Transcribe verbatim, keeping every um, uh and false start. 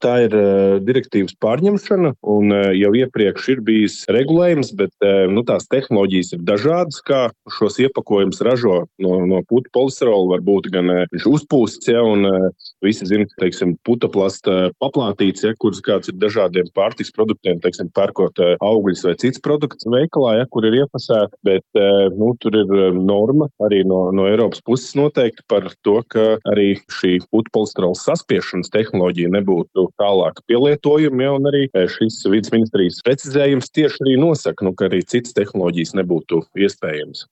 Tā ir uh, direktīvas pārņemšana, un uh, jau iepriekš ir bijis regulējums, bet uh, nu, tās tehnoloģijas ir dažādas, kā šos iepakojumus ražo no, no putu polisterola. Var būt gan uh, viņš uzpūsts, ja, un uh, visi zina, teiksim, putaplasta paplātīts, ja, kuras kāds ir dažādiem pārtiks produktiem, teiksim, pērkot uh, augļus vai cits produkts veikalā, ja, kur ir iepasēta, bet uh, nu, tur ir uh, norma arī no, no Eiropas puses noteikti par to, ka arī šī putu polisterola saspiešanas tehnoloģija nebūtu tālāk pielietojumi, ja, un arī šis vides ministrijas precizējums tieši arī nosaka, nu, ka arī citas tehnoloģijas nebūtu iespējams.